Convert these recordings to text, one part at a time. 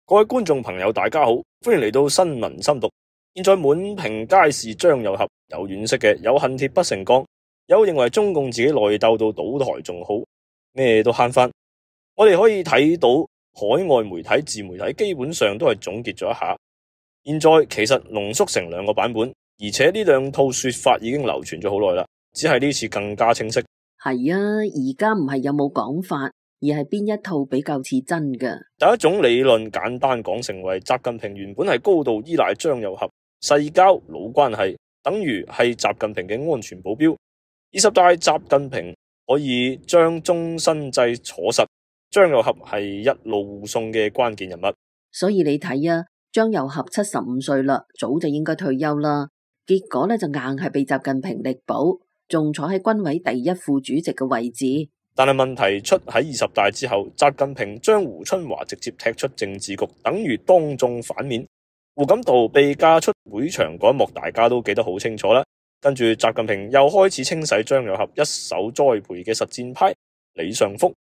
各位觀眾朋友，大家好，歡迎嚟到新聞深讀。現在滿屏皆是張又俠，有惋惜嘅，有恨鐵不成鋼，有認為中共自己內鬥到倒台仲好，咩都慳返。我哋可以睇到海外媒體、自媒體基本上都係總結咗一下。現在其實濃縮成兩個版本，而且呢兩套說法已經流傳咗好耐啦，只係呢次更加清晰。係啊，而家唔係有冇講法，而係邊一套比較似真㗎。第一種理論簡單講成為習近平原本係高度依賴張又俠，世交老關係，等於係習近平嘅安全保鏢。20大習近平可以將終身制坐實，張又俠係一路護送嘅關鍵人物。所以你睇啊，張又俠75歲啦，早就應該退休啦，結果呢就硬係被習近平力保，仲坐喺軍委第一副主席嘅位置。但係問題出喺20大之後，習近平將胡春華直接踢出政治局，等於當眾反面。胡錦濤被架出會場嗰一幕，大家都記得好清楚啦。跟住習近平又開始清洗張又俠一手栽培嘅實戰派李尚福、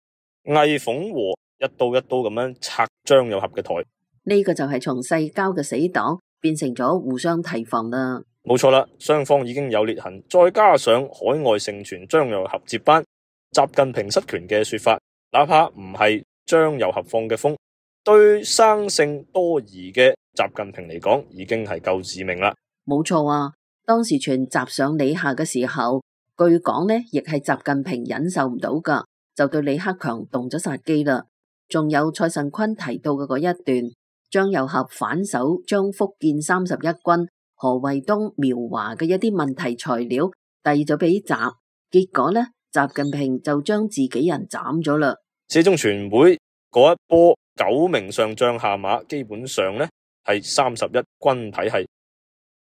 魏鳳和，一刀一刀咁樣拆張又俠嘅台。呢個就係從世交嘅死黨變成咗互相提防啦。冇錯啦，雙方已經有裂痕，再加上海外盛傳張又俠接班習近平失權嘅說法，哪怕唔係張又俠放嘅風，對生性多疑嘅習近平嚟講，已經係夠致命啦。冇錯啊，當時傳習上李下嘅時候，據講呢亦係習近平忍受唔到噶，就對李克強動咗殺機啦。仲有蔡慎坤提到嘅嗰一段，張又俠反手將福建31軍何衛東、苗華嘅一啲問題材料遞咗俾習，結果呢，習近平就將自己人斬咗啦。四中全會嗰一波9名上將下馬，基本上呢係31軍體系。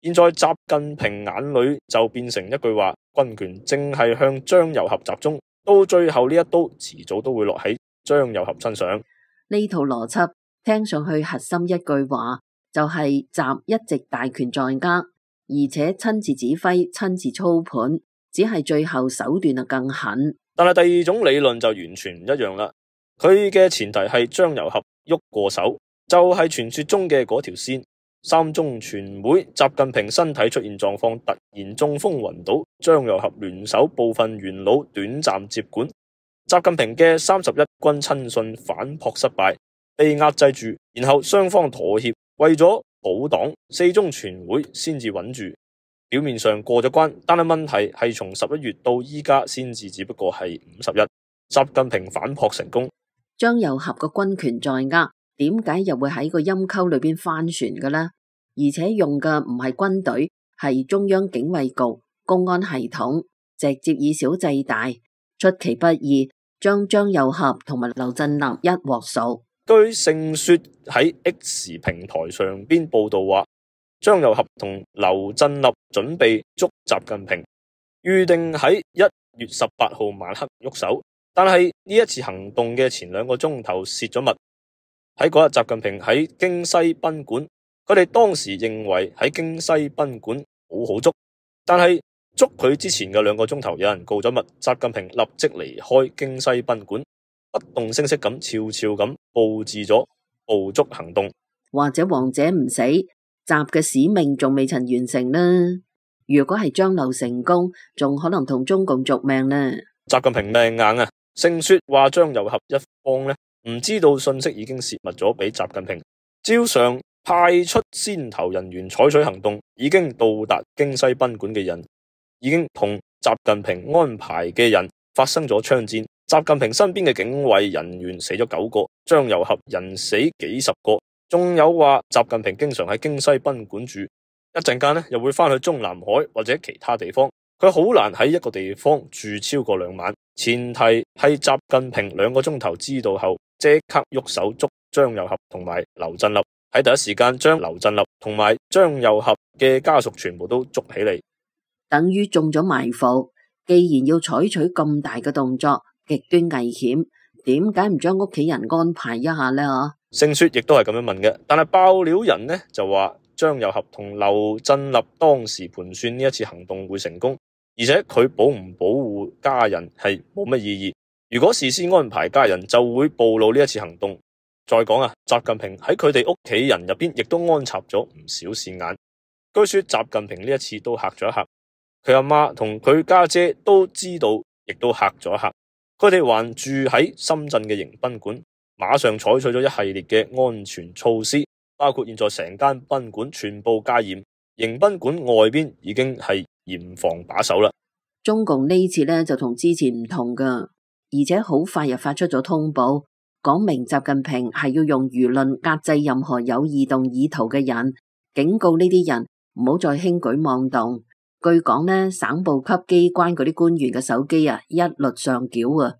現在習近平眼裏就變成一句話：軍權正係向張又俠集中，到最後呢一刀遲早都會落喺張又俠身上。呢套邏輯聽上去核心一句話就係習一直大權在握，而且親自指揮、親自操盤，只係最後手段就更狠。但係第二種理論就完全唔一樣啦。佢嘅前提係張又俠喐過手，就係傳說中嘅嗰條線。三中全會，習近平身體出現狀況，突然中風暈倒，張又俠聯手部分元老短暫接管，習近平嘅31軍親信反撲失敗，被壓制住，然後雙方妥協，為咗保黨，四中全會先至穩住。表面上過咗關，但係問題係從11月到依家先至只不過係50日，習近平反撲成功。張又俠嘅軍權在握，點解又會喺個陰溝裏邊翻船嘅呢？而且用嘅唔係軍隊，係中央警衛局、公安系統，直接以小制大，出其不意將張又俠同埋劉振立一鑊熟。據盛說喺 X 平台上邊報道話，張又俠同劉振立準備捉習近平，預定喺1月18號晚黑喐手，但係呢一次行動嘅前2個鐘頭泄咗密。喺嗰日，習近平喺京西賓館，佢哋當時認為喺京西賓館好捉，但係捉佢之前嘅2個鐘頭，有人告咗密，習近平立即離開京西賓館，不動聲色咁悄悄咁布置咗捕捉行動。或者王者唔死，習嘅使命仲未曾完成呢。如果係張劉成功，仲可能同中共續命呢。習近平命硬啊！盛說話張又俠一方呢，唔知道信息已經泄密咗俾習近平，照常派出先頭人員採取行動，已經到達京西賓館嘅人已經同習近平安排嘅人發生咗槍戰。習近平身邊嘅警衛人員死咗9個，張又俠人死幾十個，仲有話習近平經常喺京西賓館住，一陣間呢又會翻去中南海或者其他地方，佢好難喺一個地方住超過2晚。前提係習近平2個鐘頭知道後，即刻喐手捉張又俠同埋劉振立，喺第一時間將劉振立同埋張又俠嘅家屬全部都捉起嚟，等於中咗埋伏。既然要採取咁大嘅動作，極端危險，點解唔將屋企人安排一下呢？盛說亦都係咁樣問嘅，但係爆料人呢就話張又俠同劉振立當時盤算呢一次行動會成功，而且佢保唔保護家人係冇乜意義。如果事先安排家人，就會暴露呢一次行動。再講啊，習近平喺佢哋屋企人入邊亦都安插咗唔少線眼。據說習近平呢一次都嚇咗一嚇，佢阿媽同佢家姐都知道，亦都嚇咗一嚇。佢哋還住喺深圳嘅迎賓館，馬上採取咗一系列嘅安全措施，包括現在成間賓館全部戒嚴，迎賓館外邊已經係嚴防把守啦。中共呢次呢就同之前唔同噶，而且好快又發出咗通報，講明習近平係要用輿論壓制任何有異動意圖嘅人，警告呢啲人唔好再輕舉妄動。據講呢，省部級機關嗰啲官員嘅手機啊，一律上繳啊！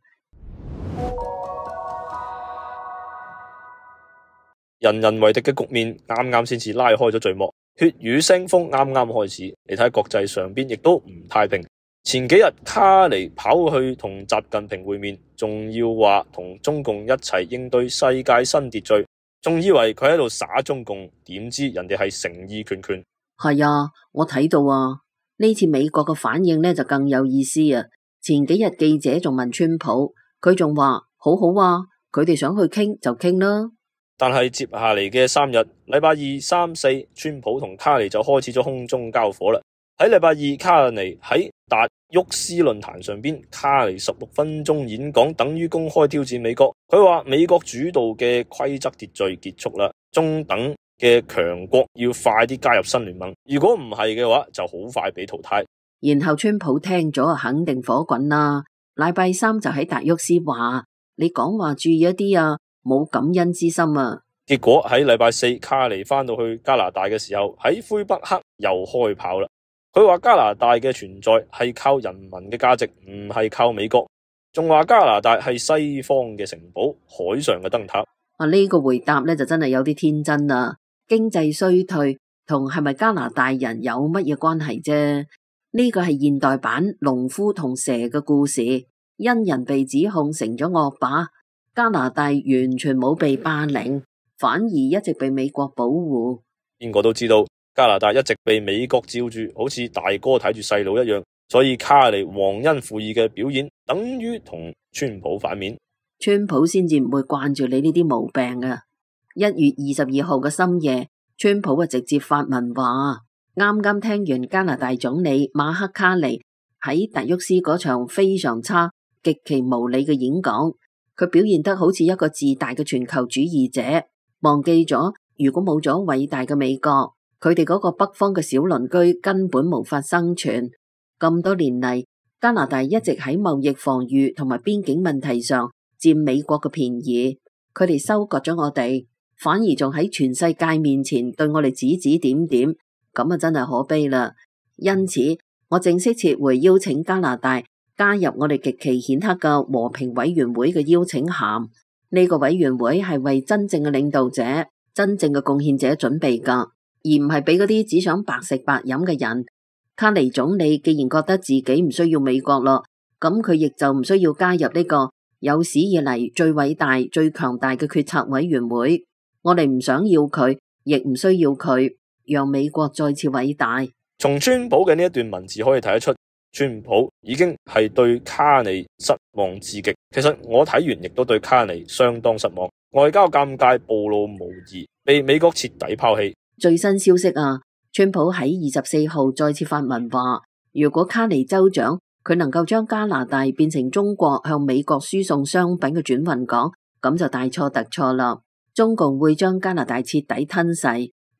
人人為敵嘅局面啱啱先至拉開咗序幕，血雨腥風啱啱開始。你睇國際上邊亦都唔太平。前幾日卡尼跑去同習近平會面，仲要話同中共一齊應對世界新秩序，仲以為佢喺度耍中共，點知人哋係誠意拳拳。係啊，我睇到啊，呢次美國嘅反應呢就更有意思啊！前幾日記者仲問川普，佢仲話好好啊，佢哋想去傾就傾啦。但係接下嚟嘅3日，禮拜2、3、4，川普同卡尼就開始咗空中交火啦。喺禮拜2，卡尼喺達沃斯論壇上邊，卡尼16分鐘演講等於公開挑戰美國。佢話美國主導嘅規則秩序結束啦，中等嘅強國要快啲加入新聯盟，如果唔係嘅話，就好快被淘汰。然後川普聽咗肯定火滾啦。禮拜3就喺達沃斯話：你講話注意一啲啊！冇感恩之心啊！結果喺禮拜4，卡尼翻到去加拿大嘅時候，喺魁北克又開炮啦。佢話加拿大嘅存在係靠人民嘅價值，唔係靠美國。仲話加拿大係西方嘅城堡，海上嘅燈塔。呢個回答呢就真係有啲天真啦。經濟衰退同係咪加拿大人有乜嘢關係啫？呢個係現代版農夫同蛇嘅故事，因人被指控成咗惡霸。加拿大完全冇被霸凌，反而一直被美國保護。邊個都知道加拿大一直被美國罩住，好似大哥睇住細佬一樣。所以卡尼忘恩負義嘅表演，等於同川普反面。川普先至唔會慣住你呢啲毛病啊！1月22號嘅深夜，川普啊直接發文話：啱啱聽完加拿大總理馬克卡尼喺達沃斯嗰場非常差、極其無理嘅演講。佢表現得好似一個自大嘅全球主義者，忘記咗如果冇咗偉大嘅美國，佢哋嗰個北方嘅小鄰居根本無法生存。咁多年嚟，加拿大一直喺貿易防禦同埋邊境問題上佔美國嘅便宜，佢哋收割咗我哋，反而仲喺全世界面前對我哋指指點點，咁啊真係可悲啦。因此，我正式撤回邀請加拿大加入我哋極其顯赫嘅和平委員會嘅邀請函。呢個委員會係為真正嘅領導者、真正嘅貢獻者準備噶，而唔係俾嗰啲只想白食白飲嘅人。卡尼總理既然覺得自己唔需要美國咯，咁佢亦就唔需要加入呢個有史以嚟最偉大、最強大嘅決策委員會。我哋唔想要佢，亦唔需要佢，讓美國再次偉大。從川普嘅呢一段文字可以睇得出，川普已經係對卡尼失望至極。其實我睇完亦都對卡尼相當失望，外交尷尬、暴露無遺，被美國徹底拋棄。最新消息啊，川普喺24號再次發文話，如果卡尼州長佢能夠將加拿大變成中國向美國輸送商品嘅轉運港，咁就大錯特錯啦。中共會將加拿大徹底吞噬，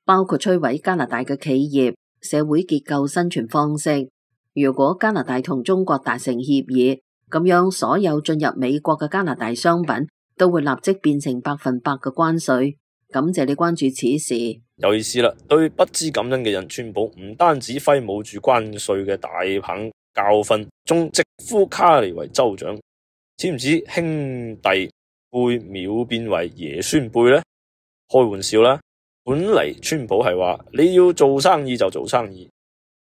包括摧毀加拿大嘅企業、社會結構、生存方式。如果加拿大同中國達成協議，咁樣所有進入美國嘅加拿大商品都會立即變成100%嘅關稅。感謝你關注此事。有意思啦，對不知感恩嘅人，川普唔單止揮舞住關稅嘅大棒教訓，仲直呼卡尼為州長。知唔知兄弟輩秒變為爺孫輩呢？開玩笑啦，本嚟川普係話你要做生意就做生意，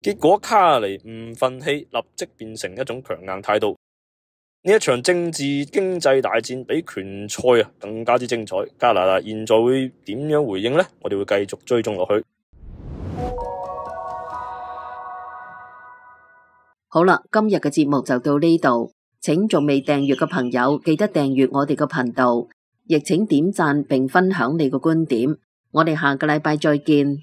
結果卡尼唔忿氣，立即變成一種強硬態度。呢一場政治經濟大戰比拳賽更加之精彩。加拿大現在會點樣回應呢？我哋會繼續追蹤落去。好啦，今日嘅節目就到呢度，請仲未訂閱嘅朋友記得訂閱我哋嘅頻道。亦請點讚並分享你個觀點。我哋下個禮拜再見。